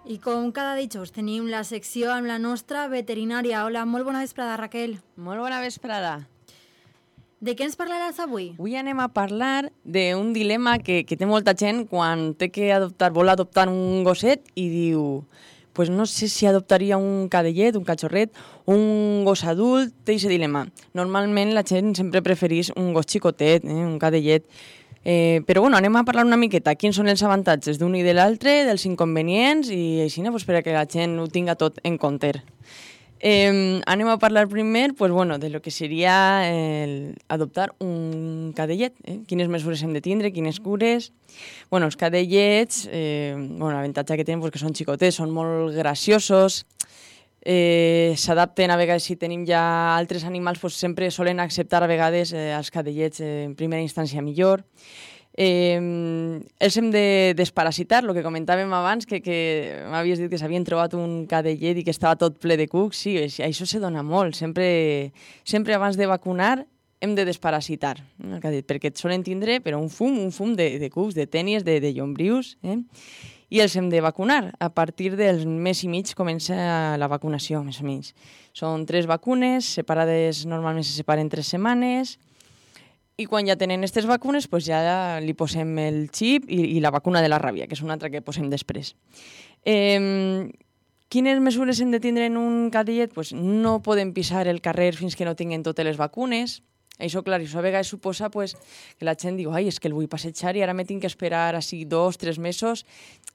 I com cada dijous tenim la secció amb la nostra veterinària. Hola, molt bona vesprada, Raquel. Molt bona vesprada. De què ens parlaràs avui? Avui anem a parlar d'un dilema que té molta gent quan té que vol adoptar un gosset i diu pues no sé si adoptaria un cadellet, un cachorret, un gos adult, té aquest dilema. Normalment la gent sempre preferís un gos xicotet, un cadellet. Però bueno, anem a parlar una miqueta quins són els avantatges d'un i de l'altre, dels inconvenients i així per a que la gent ho tinga tot en compte. Anem a parlar primer de lo que seria adoptar un cadellet, quines mesures hem de tindre, quines cures. Els cadellets, l'avantatge que tenen que són xicotets, són molt graciosos, s'adapten a vegades si tenim ja altres animals, sempre solen acceptar a vegades els cadellets en primera instància millor. Els hem de desparasitar, el que comentàvem abans, que m'havies dit que s'havien trobat un cadellet i que estava tot ple de cucs. Sí, això se dona molt. Sempre abans de vacunar hem de desparasitar el cadellet, perquè et solen tindre un fum de cucs, de tènies, de llombrius, i els hem de vacunar. A partir del mes i mig comença la vacunació, més o menys. Són 3 vacunes, separades, normalment se separen 3 setmanes, i quan ja tenen aquestes vacunes, ja li posem el xip i la vacuna de la ràbia, que és una altra que posem després. Quines mesures hem de tindre en un cadellet? No podem pisar el carrer fins que no tinguen totes les vacunes. Això, clar, això a vegades suposa que la gent diu és que el vull passejar i ara me tinc que esperar així 2 o 3 mesos.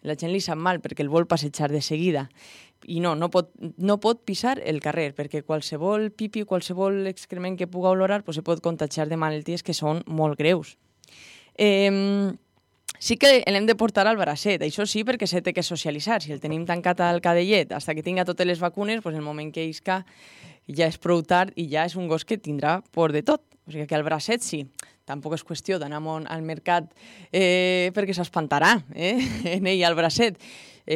La gent li sap mal perquè el vol passejar de seguida. I no pot pisar el carrer, perquè qualsevol pipi, qualsevol excrement que pugui olorar se pot contagiar de malalties que són molt greus. Sí que l'hem de portar al bracet, això sí, perquè s'ha de socialitzar. Si el tenim tancat al cadellet fins que tinga totes les vacunes, el moment que isca ja és prou tard i ja és un gos que tindrà por de tot. O sigui que al bracet sí. Tampoc és qüestió d'anar al mercat perquè s'espantarà en ell al bracet.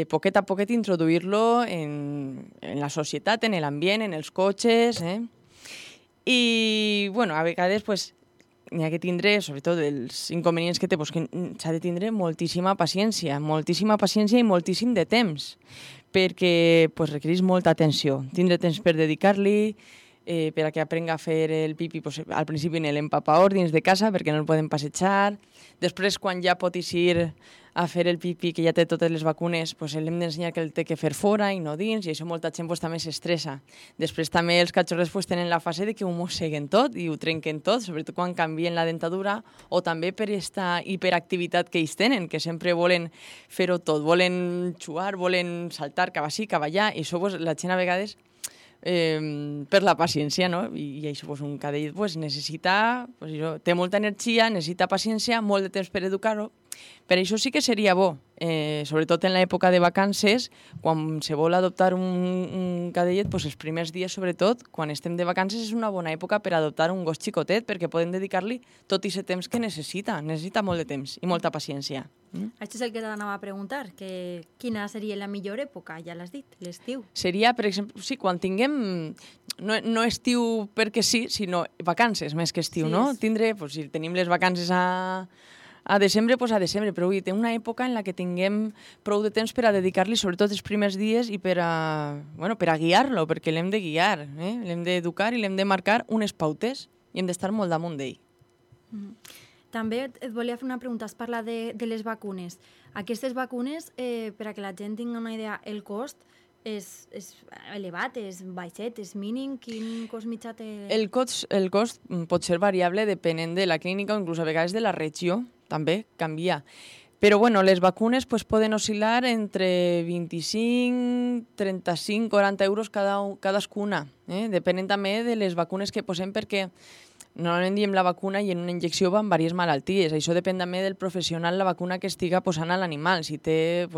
Poquet a poquet introduir-lo en la societat, en l'ambient, en els cotxes. I, a vegades, n'hi ha que tindre, sobretot els inconvenients que té, que s'ha de tindre moltíssima paciència i moltíssim de temps, perquè requereix molta atenció. Tindre temps per dedicar-li, per a que aprenga a fer el pipi, al principi en l'empapador dins de casa, perquè no el poden passejar. Després, quan ja pot eixir a fer el pipi, que ja té totes les vacunes, l'hem d'ensenyar que el té que fer fora i no dins, i això molta gent també s'estressa. Després també els cachorrets tenen la fase de que ho mosseguen tot i ho trenquen tot, sobretot quan canvien la dentadura, o també per aquesta hiperactivitat que ells tenen, que sempre volen fer-ho tot, volen xuar, volen saltar cap així, cap allà, i això la gent a vegades per la paciència, no? I això un cadellet necessita, té molta energia, necessita paciència, molt de temps per educar-ho. Per això sí que seria bo, sobretot en l'època de vacances, quan se vol adoptar un cadellet, els primers dies, sobretot, quan estem de vacances, és una bona època per adoptar un gos xicotet, perquè podem dedicar-li tot aquest temps que necessita molt de temps i molta paciència. Això és el que t'anava a preguntar, que quina seria la millor època, ja l'has dit, l'estiu. Seria, per exemple, sí, quan tinguem, no estiu perquè sí, sinó vacances més que estiu, no? Tindre, si tenim les vacances a desembre, a desembre, però té una època en la que tinguem prou de temps per a dedicar-li, sobretot els primers dies, i per a guiar-lo, perquè l'hem de guiar, l'hem d'educar i l'hem de marcar unes pautes i hem d'estar molt damunt d'ell. També et volia fer una pregunta, has parlat de les vacunes. Aquestes vacunes, per a que la gent tingui una idea, el cost és elevat, és baixet, és mínim? Quin cost mitjà té? El cost pot ser variable depenent de la clínica o inclús a vegades de la regió, també canvia. Però les vacunes poden oscil·lar entre 25, 35, 40 euros cadascuna. Depenent també de les vacunes que posem, perquè normalment diem la vacuna i en una injecció van diverses malalties. Això depèn també del professional, la vacuna que estiga posant a l'animal, si té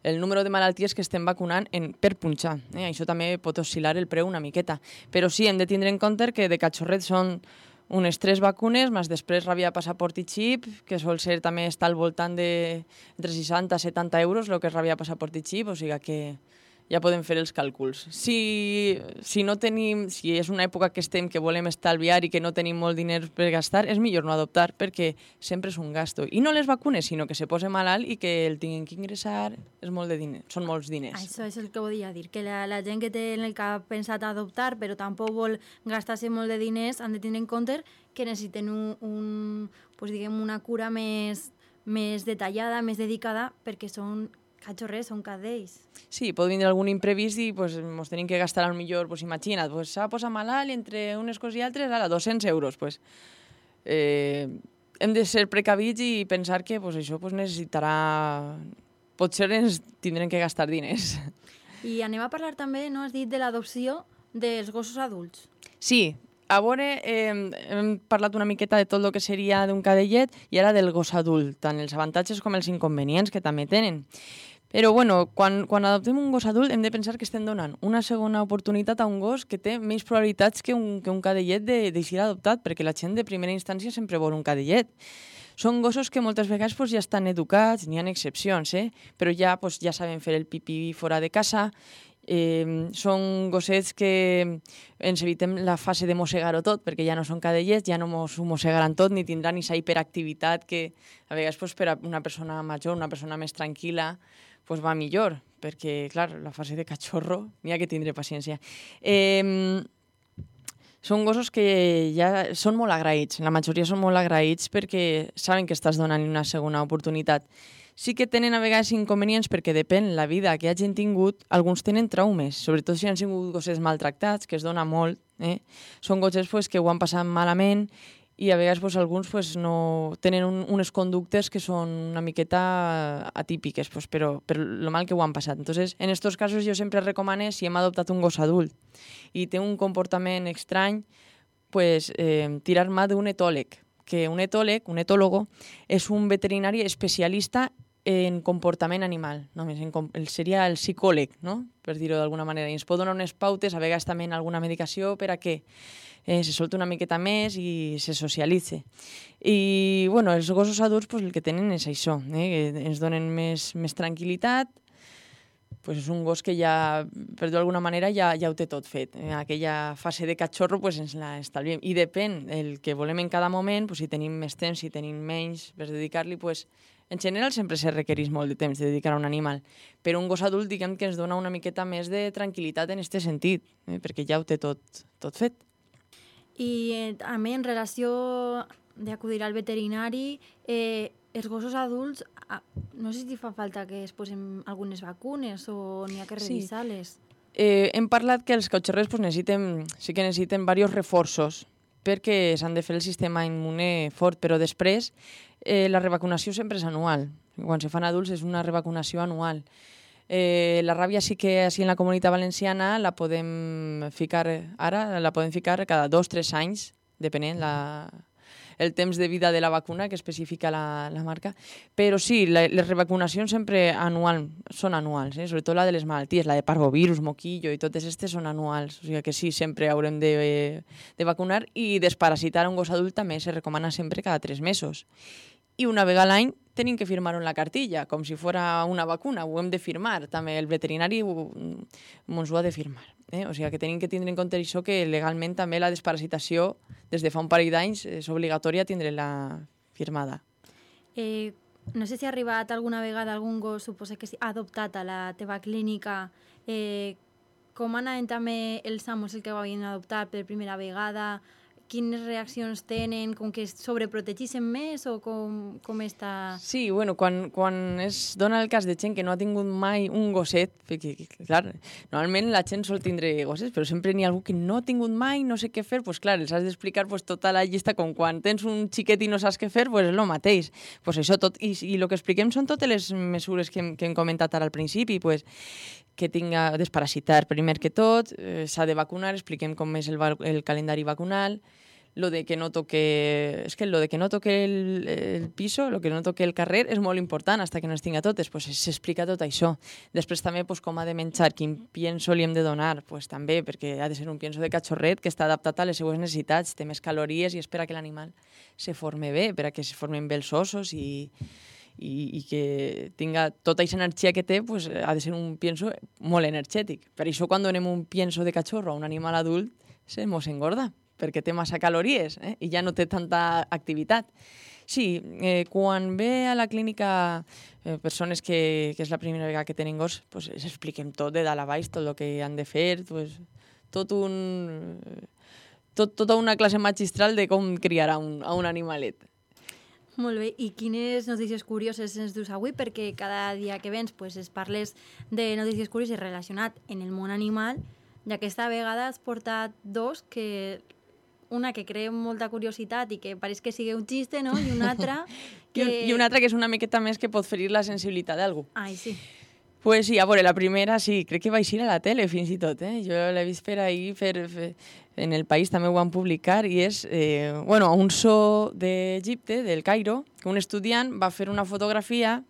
el número de malalties que estem vacunant per punxar. Això també pot oscil·lar el preu una miqueta. Però sí, hem de tindre en compte que de cachorret són unes 3 vacunes, més després ràbia, passaport i xip, que sol ser també està al voltant de entre 60 i 70 euros, el que és ràbia, passaport i xip, o sigui que ja podem fer els càlculs. Si no tenim, si és una època que estem que volem estalviar i que no tenim molt diners per gastar, és millor no adoptar perquè sempre és un gasto. I no les vacunes, sinó que se posa malalt i que el tinguin que ingressar és molt de diners, són molts diners. Això és el que volia dir, que la gent que té en el cap pensat adoptar però tampoc vol gastar-se molt de diners han de tenir en compte que necessiten pues, diguem, una cura més detallada, més dedicada, perquè són cachorrers, són cadells. Sí, pot vindre algun imprevist i pues, ens tenim que gastar millor, pues, imagina't, pues, s'ha posat malalt entre unes coses i altres, ara, 200 euros. Pues, hem de ser precavits i pensar que pues, això pues, necessitarà... Potser ens tindrem que gastar diners. I anem a parlar també, no has dit, de l'adopció dels gossos adults. Sí, a veure, hem parlat una miqueta de tot el que seria d'un cadellet i ara del gos adult, tant els avantatges com els inconvenients que també tenen. Però, bueno, quan adoptem un gos adult hem de pensar que estem donant una segona oportunitat a un gos que té més probabilitats que un cadellet de ser adoptat, perquè la gent de primera instància sempre vol un cadellet. Són gossos que moltes vegades pues, ja estan educats, n'hi ha excepcions, però ja, pues, ja saben fer el pipí fora de casa. Són gossets que ens evitem la fase de mossegar-ho tot, perquè ja no són cadellets, ja no mos mossegaran tot, ni tindran aquesta hiperactivitat que a vegades pues, per a una persona major, una persona més tranquil·la, pues, va millor, perquè, clar, la fase de cachorro n'hi ha que tindre paciència. Són gossos que ja són molt agraïts, la majoria són molt agraïts perquè saben que estàs donant una segona oportunitat. Sí que tenen a vegades inconvenients perquè depèn la vida que hagin tingut, alguns tenen traumes, sobretot si han sigut gossets maltractats, que es dona molt. Són gossets pues, que ho han passat malament i a vegades pues, alguns pues, no tenen unes conductes que són una miqueta atípiques, pues, però per lo mal que ho han passat. Entonces, en estos casos jo sempre recomano, si hem adoptat un gos adult i té un comportament estrany, pues, tirar mà d'un etòleg, que un etòlogo, és un veterinari especialista en comportament animal, només seria el psicòleg, no? Per dir-ho d'alguna manera. I ens pot donar unes pautes, a vegades també alguna medicació per a què se solti una miqueta més i se socialitze. I bueno, els gossos adults pues, el que tenen és això, que ens donen més tranquil·litat. Pues és un gos que ja, per dir-ho d'alguna manera, ja ho té tot fet. Aquella fase de cachorro pues, ens la estalviem. I depèn el que volem en cada moment, pues, si tenim més temps, si tenim menys per dedicar-li, pues, en general sempre se requereix molt de temps de dedicar a un animal. Però un gos adult diguem que ens dona una miqueta més de tranquil·litat en aquest sentit, perquè ja ho té tot fet. I també en relació d'acudir al veterinari, els gossos adults, no sé si fa falta que es posen algunes vacunes o n'hi ha que revisar-les. Hem parlat que els cachorrers sí que necessiten diversos reforços perquè s'han de fer el sistema immune fort, però després la revacunació sempre és anual. Quan se fan adults és una revacunació anual. La ràbia sí que així en la Comunitat Valenciana la podem ficar cada 2 o 3 anys, depenent el temps de vida de la vacuna que especifica la marca. Però sí, les revacunacions sempre són anuals, sobretot la de les malalties, la de parvovirus, moquillo i totes aquestes són anuals. O sigui que sí, sempre haurem de vacunar i desparasitar un gos adult també se recomana sempre cada 3 mesos. I una vegada a l'any tenim que firmar la cartilla, com si fos una vacuna, ho hem de firmar, també el veterinari ens ho ha de firmar. O sigui que tenim que tindre en compte això, que legalment també la desparasitació, des de fa un parell d'anys, és obligatòria tindre-la firmada. No sé si ha arribat alguna vegada algun gos, suposa que ha adoptat a la teva clínica, com anaven també els amos el que ho havien adoptat per primera vegada, quines reaccions tenen, com que es sobreprotegeixen més o com està... Sí, bueno, quan es dona el cas de gent que no ha tingut mai un gosset, perquè, clar, normalment la gent sol tindre gossets, però sempre n'hi ha algú que no ha tingut mai, no sé què fer, doncs clar, els has d'explicar tota la llista, com quan tens un xiquet i no saps què fer, doncs és el mateix. Doncs això tot, i el que expliquem són totes les mesures que hem comentat ara al principi, doncs que tinga desparasitar primer que tot, s'ha de vacunar, expliquem com és el calendari vacunal, lo de que no toque el piso, lo que no toque el carrer és molt important, fins que no es tinga totes, pues s'explica tot això. Després també pues, com ha de menjar, quin pienso li hem de donar, pues, també, perquè ha de ser un pienso de cachorret que està adaptat a les seues necessitats, té més calories i espera que l'animal se forme bé, per a que se formen bé els ossos i i que tinga tota aquesta energia que té, pues, ha de ser un pienso molt energètic. Per això quan donem un pienso de cachorro a un animal adult se mos engorda, perquè té massa calories i ja no té tanta activitat. Sí, quan ve a la clínica persones que és la primera vegada que tenen gos, pues, els expliquem tot de dalt a baix, tot el que han de fer, pues, tota una classe magistral de com criar a un animalet. Molt bé, i quines notícies curioses ens dus avui? Perquè cada dia que vens pues, es parles de notícies curioses relacionat en el món animal, ja que esta vegada has portat dos que... Una que crea molta curiositat i que pareix que sigui un xiste, no? I una altra que... I una altra que és una miqueta més que pot ferir la sensibilitat d'algú. Ai, sí. Pues sí, a veure, la primera sí, crec que va eixir a la tele fins i tot, Jo l'he vist per ahí, en el País també ho van publicar, i és, a un zoo d'Egipte, del Cairo, que un estudiant va fer una fotografia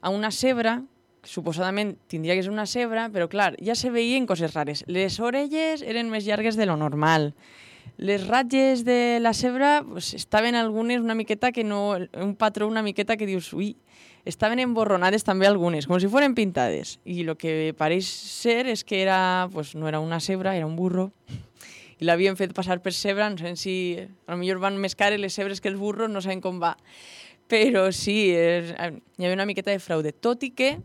a una zebra, que suposadament tindria que ser una zebra, però clar, ja se veien coses rares. Les orelles eren més llargues de lo normal. Les ratlles de la zebra pues, estaven algunes una miqueta que no... Un patró una miqueta que dius, ui, estaven emborronades també algunes, com si foren pintades. I el que pareix ser és que era, pues, no era una zebra, era un burro. I l'havien fet passar per zebra, no sé si... A lo millor van més cares les zebres que els burros, no saben com va. Però sí, hi havia una miqueta de fraude. Tot i que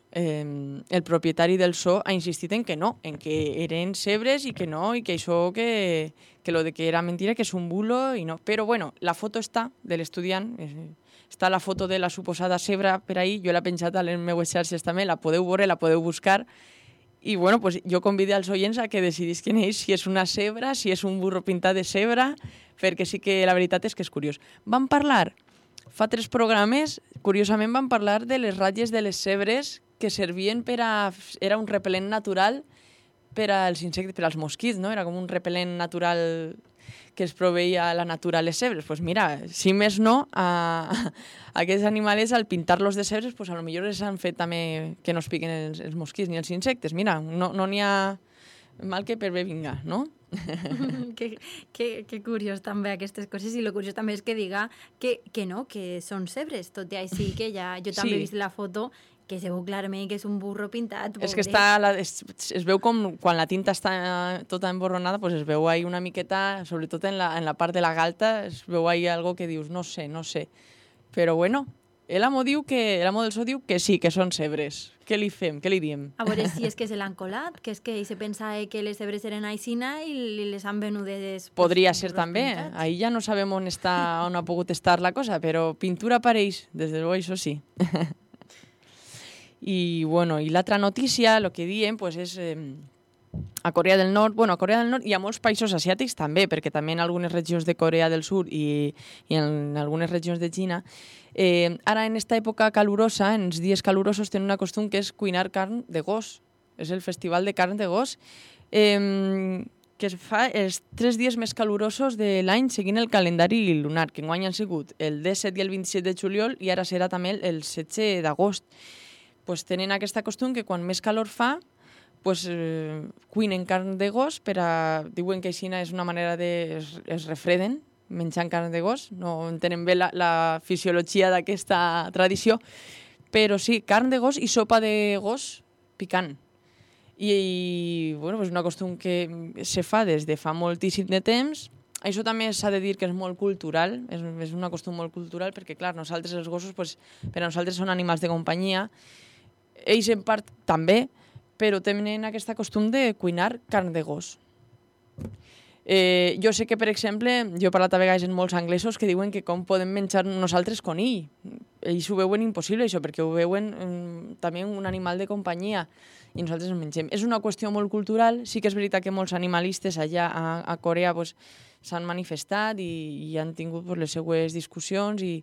el propietari del zoo ha insistit en que no, en que eren zebres i que no, i que això que lo de que era mentira, que és un bulo i no. Però bueno, la foto està de l'estudiant, està la foto de la suposada zebra per ahí, jo l'he penjat a les meues xarxes també, la podeu veure, la podeu buscar, i bueno, pues jo convido als oients a que decidisquen ells si és una zebra, si és un burro pintat de zebra, perquè sí que la veritat és que és curiós. Vam parlar, fa 3 programes, curiosament vam parlar de les ratlles de les zebres que servien per a... Era un repel·lent natural per als insectes, per als mosquits, no? Era com un repel·lent natural que es proveïa a la natura a les zebres. Pues mira, si més no, a aquests animals, al pintar-los de zebres, pues a lo millor els han fet també que no es piquen els mosquits ni els insectes. Mira, no n'hi ha mal que per bé vinga, no? que curiós també aquestes coses, i lo curiós també és que diga que no, que són zebres, tot i així que ja jo també he vist la foto que se veu clarament que és un burro pintat. És que es veu com quan la tinta està tota emborronada, pues es veu ahí una miqueta, sobretot en la part de la galta, es veu ahí algo que dius, no sé. Però bueno, l'amo del zoo diu que sí, que són zebres. Què li fem? Què li diem? A veure si és que se l'han colat, que és que ell se pensava que les zebres eren aixina i les han venudes... Podria ser també. Ahí ja no sabem on ha pogut estar la cosa, però pintura apareix, des de luego, això sí. I l'altra notícia, el que diem, pues, és a Corea del Nord, a Corea del Nord i a molts països asiàtics també, perquè també en algunes regions de Corea del Sud i en algunes regions de Xina, ara en esta època calurosa, en els dies calurosos, tenen una costum que és cuinar carn de gos. És el festival de carn de gos, que es fa els 3 dies més calurosos de l'any seguint el calendari lunar, que enguany han sigut el 17 i el 27 de juliol i ara serà també el 16 d'agost. Pues tenen aquesta costum que quan més calor fa, pues, cuinen carn de gos, diuen que així és una manera es refreden menjant carn de gos, no entenen bé la fisiologia d'aquesta tradició, però sí, carn de gos i sopa de gos picant. I és una costum que se fa des de fa moltíssim de temps. Això també s'ha de dir que és molt cultural, és una costum molt cultural, perquè clar, nosaltres els gossos, per a nosaltres són animals de companyia. Ells en part també, però tenen aquesta costum de cuinar carn de gos. Jo sé que, per exemple, jo he parlat a vegades amb molts anglesos que diuen que com podem menjar nosaltres conill. Ells ho veuen impossible, això, perquè ho veuen també un animal de companyia i nosaltres el mengem. És una qüestió molt cultural, sí que és veritat que molts animalistes allà a Corea s'han manifestat i han tingut les seues discussions i...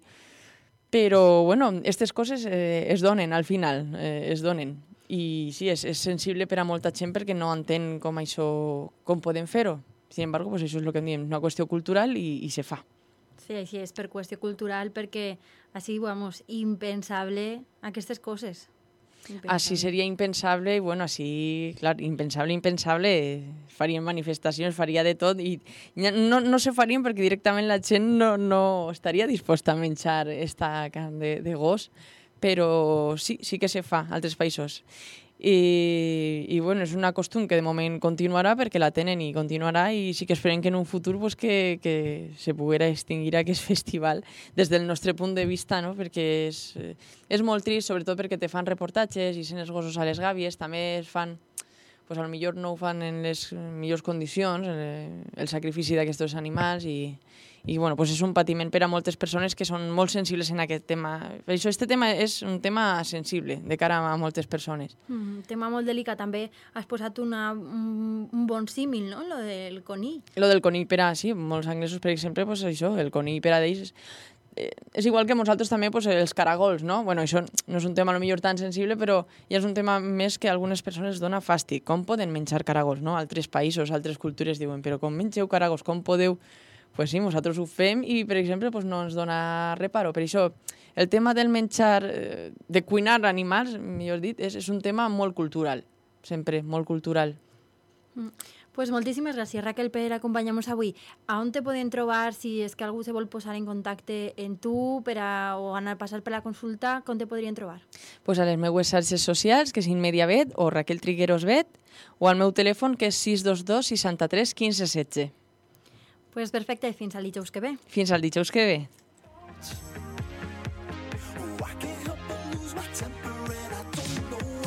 Però, aquestes coses es donen, al final, es donen. I sí, és sensible per a molta gent perquè no entén com podem fer-ho. Sin embargo, això és el que em diem, una qüestió cultural i se fa. Sí, així és per qüestió cultural, perquè així, impensable aquestes coses. Així seria impensable, i bueno, així, clar, impensable, farien manifestacions, faria de tot, i no se farien perquè directament la gent no estaria disposta a menjar esta carn de gos, però sí que se fa a altres països. I bueno, és una costum que de moment continuarà perquè la tenen i continuarà, i sí que esperem que en un futur pues, que se poguera extingir aquest festival des del nostre punt de vista, no? Perquè és molt trist, sobretot perquè te fan reportatges i sent els gossos a les gàbies, també es fan, pues, potser no ho fan en les millors condicions, el sacrifici d'aquests animals, i bueno, pues és un patiment per a moltes persones que són molt sensibles en aquest tema. Per això este tema és un tema sensible de cara a moltes persones. Tema molt delicat. També has posat un bon símil, no?, lo del conill. Lo del conill per a, sí, molts anglesos, per exemple, pues això, el conill per a d'ells és igual que nosaltres també pues, els caragols, no? Bueno, això no és un tema potser tan sensible, però ja és un tema més que a algunes persones dona fàstic. Com poden menjar caragols, no? Altres països, altres cultures diuen, però com mengeu caragols, com podeu? Pues sí, nosaltres ho fem i, per exemple, pues no ens dona reparo. Per això, el tema del menjar, de cuinar animals, millor dit, és un tema molt cultural, sempre, molt cultural. Pues moltíssimes gràcies, Raquel, per acompanyar-nos avui. A on te poden trobar, si és que algú se vol posar en contacte amb tu o anar a passar per la consulta, com te podrien trobar? Pues a les meues xarxes socials, que és InMediaVet o Raquel Trigueros Vet, o al meu telèfon, que és 622 63 15 16. Pues perfecte, fins al dijous que ve. Fins al dijous que ve.